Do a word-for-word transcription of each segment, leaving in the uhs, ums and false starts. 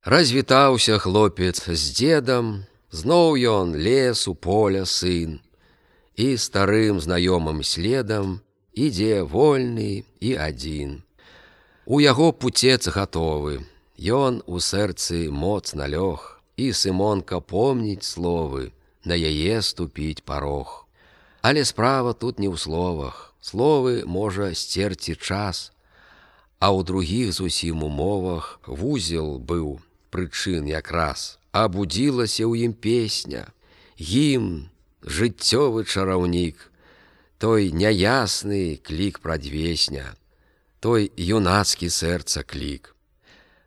Развітаўся хлопец з дзедам, зноў ён лес у поля сын, і старым знаёмым следам ідзе вольны і адзін. У яго пуцец гатовы, ён у сэрцы моцна лёг, і Сымонка помніць словы, на яе ступіць парог. Але справа тут не ў словах, словы можа сцерці час, а ў другіх зусім умовах вузел быў прычын якраз, а будзілася ў ім песня, гімн, жыццёвы чараўнік, той няясны клік прадвесня, той юнацкі сэрца клік.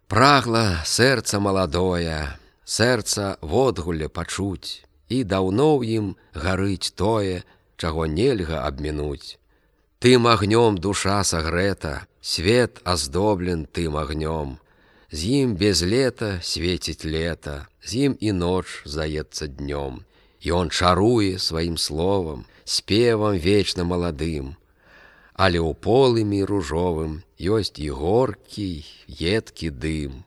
Прагла сэрца маладое, сэрца водгулля пачуць, і даўно ў ім гарыць тое, чаго нельга абмінуць. Тым агнём душа сагрэта, свет аздоблен тым агнём, з ім без лета свеціць лета, з ім і ноч здаецца днём. Ён чаруе сваім словам, спевам вечна маладым, але ў полымі ружовым ёсць і горкі, едкі дым.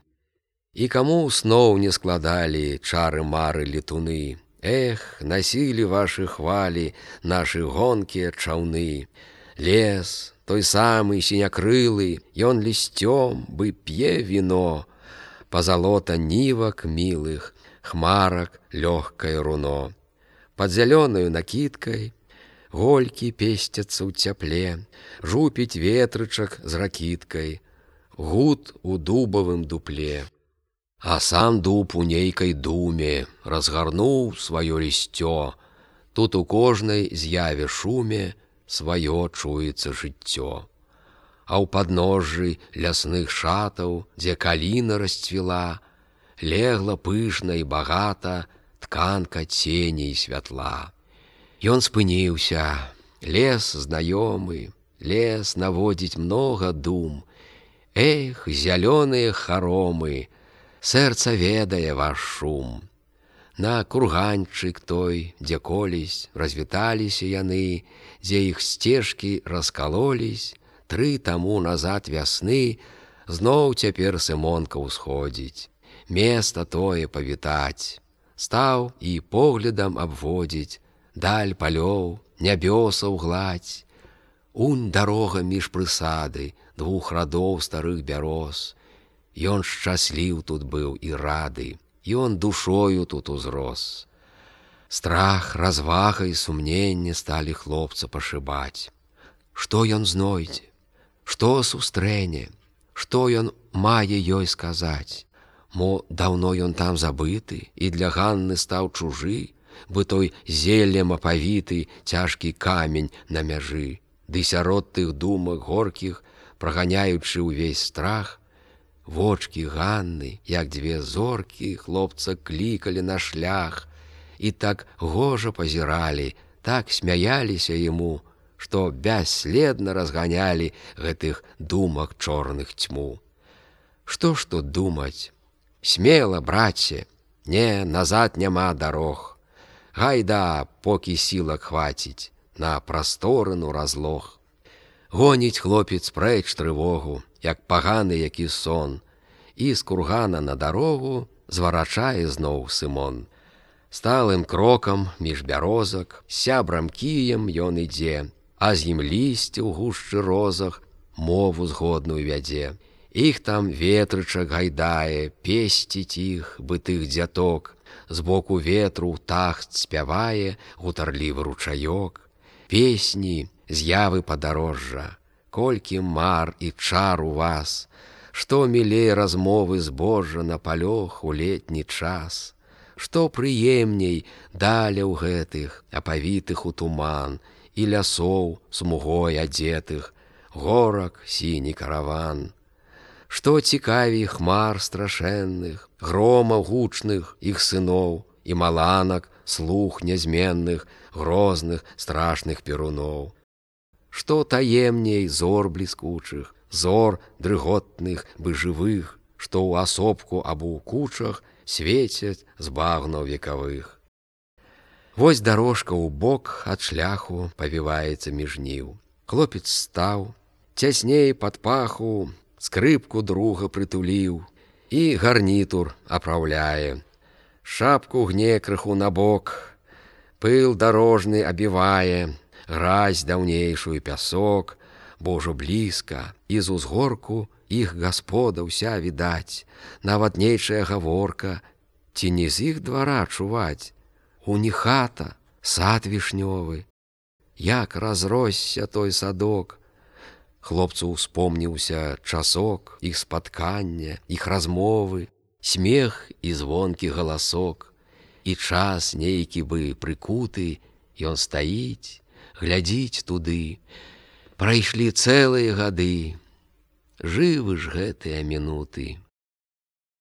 І каму сноў не складалі чары-мары летуны, эх, насілі вашы хвалі нашы гонкія чаўны. Лес, той самы сінякрылы, ён лісцём бы п'е віно, пазалота нівак мілых, хмарак лёгкае руно. Пад зялёнаю накідкай голькі песцяцца ў цяпле, жупіць ветрычак з ракіткай, гуд у дубавым дупле. А сам дуб у нейкай думе разгарнуў сваё лісцё, тут у кожнай з'яве шуме сваё чуецца жыццё. А ў падножжы лясных шатаў, дзе каліна расцвіла, легла пышна і багата тканка цені і святла. Ён спыніўся, лес знаёмы, лес наводзіць многа дум. Эх, зялёныя харомы, сэрца ведае ваш шум. На курганчык той, дзе колісь развіталіся яны, дзе іх сцежкі раскалолісь, тры таму назад вясны, зноў цяпер Сымонка ўсходзіць, места тое павітаць. Стаў і поглядам абводзіць даль палёў, нябёсаў гладзь. Унь дарога між прысады двух радоў старых бяроз. Ён шчасліў тут быў і рады, ён душою тут узрос. Страх, развага і сумненне сталі хлопца пашыбаць. Што ён знойдзе? Што сустрэне? Што ён мае ёй сказаць? Мо даўно ён там забыты, і для Ганны стаў чужы, бы той зеллем апавіты цяжкі камень на мяжы. Ды сярод тых думак горкіх, праганяючы ўвесь страх, вочкі Ганны, як дзве зоркі, хлопца клікалі на шлях, і так гожа пазіралі, так смяяліся яму, што бясследна разганялі гэтых думак чорных цьму. Што ж тут думаць? Смела, браце, не, назад няма дарог. Гайда, покі сілак хваціць, на прасторыну разлог. Гоніць хлопец прэч трывогу, як паганы які сон, і з кургана на дарогу зварачае зноў Сымон. Сталым крокам між бярозак, сябрам кіем ён ідзе, а з ім лісце ў гушчы розах мову згодную вядзе. Іх там ветрычак гайдае, песціць іх бытых дзяток, збоку ветру тахт спявае гутарлівы ручаёк. Песні, з'явы падарожжа, колькі мар і чар у вас, што мілей размовы збожжа на палёх у летні час, што прыемней даляў гэтых, апавітых у туман, і лясоў смугой адзетых, горак сіні караван. Што цікавей хмар страшэнных, громаў гучных іх сыноў, і маланак слух нязменных, грозных страшных перуноў. Што таемней зор бліскучых, зор дрыготных бы жывых, што ў асобку або ў кучах свецяць з багнаў векавых. Вось дарожка ў бок ад шляху павіваецца між ніў. Хлопец стаў, цясней пад паху, скрыпку друга прытуліў, і гарнітур апраўляе. Шапку гне крыху на бок, пыл дарожны абівае, гразь даўнейшую пясок, бо ўжо блізка, і з узгорку іх гаспода ўся відаць, нават нейчая гаворка, ці не з іх двара чуваць. У них хата, сад вішнёвы, як разросся той садок. Хлопцу успомніўся часок іх спаткання, іх размовы, смех і звонкі галасок. І час нейкі бы прыкуты, ён стаіць, глядзіць туды. Прайшлі цэлыя гады, жывы ж гэтыя мінуты.